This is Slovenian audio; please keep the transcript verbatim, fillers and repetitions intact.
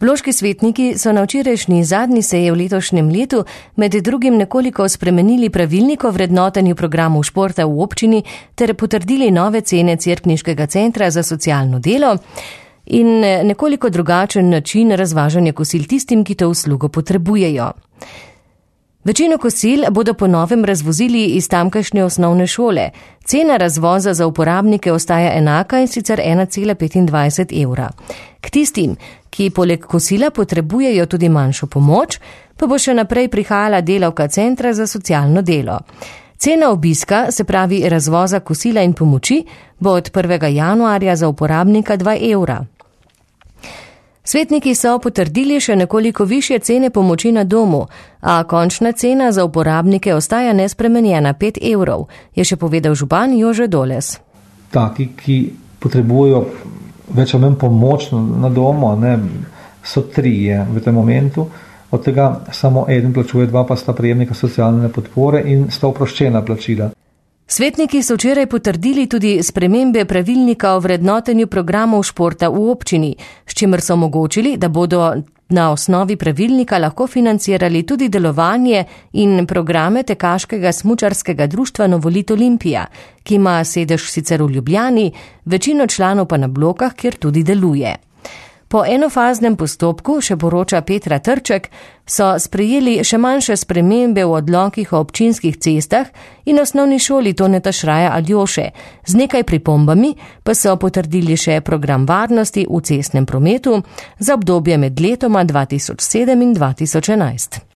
Loški svetniki so na včerajšnji zadnji seji v letošnjem letu med drugim nekoliko spremenili pravilnik o vrednotenju programov športa v občini ter potrdili nove cene Cerkniškega centra za socialno delo in nekoliko drugačen način razvažanja kosil tistim, ki to uslugo potrebujejo. Večino kosil bodo po novem razvozili iz tamkajšnje osnovne šole. Cena razvoza za uporabnike ostaja enaka in sicer ena cela petindvajset evra. K tistim, ki poleg kosila potrebujejo tudi manjšo pomoč, pa bo še naprej prihajala delavka centra za socialno delo. Cena obiska, se pravi razvoza kosila in pomoči, bo od prvega januarja za uporabnika dva evra. Svetniki so potrdili še nekoliko višje cene pomoči na domu, a končna cena za uporabnike ostaja nespremenjena pet evrov, je še povedal župan Jože Doles. Taki, ki potrebujejo več ali manj pomoč na domu, ne, so trije v tem momentu, od tega samo eden plačuje, dva pa sta prejemnika socialne podpore in sta oproščena plačila. Svetniki so včeraj potrdili tudi spremembe pravilnika o vrednotenju programov športa v občini, s čimer so omogočili, da bodo na osnovi pravilnika lahko financirali tudi delovanje in programe Tekaškega smučarskega društva Novolit Olimpija, ki ima sedež sicer v Ljubljani, večino članov pa na Blokah, kjer tudi deluje. Po enofaznem postopku, še poroča Petra Trček, so sprejeli še manjše spremembe v odlokih o občinskih cestah in osnovni šoli Toneta Šraja Aljoše. Z nekaj pripombami pa so potrdili še program varnosti v cestnem prometu za obdobje med letoma dva tisoč sedem in dva tisoč enajst.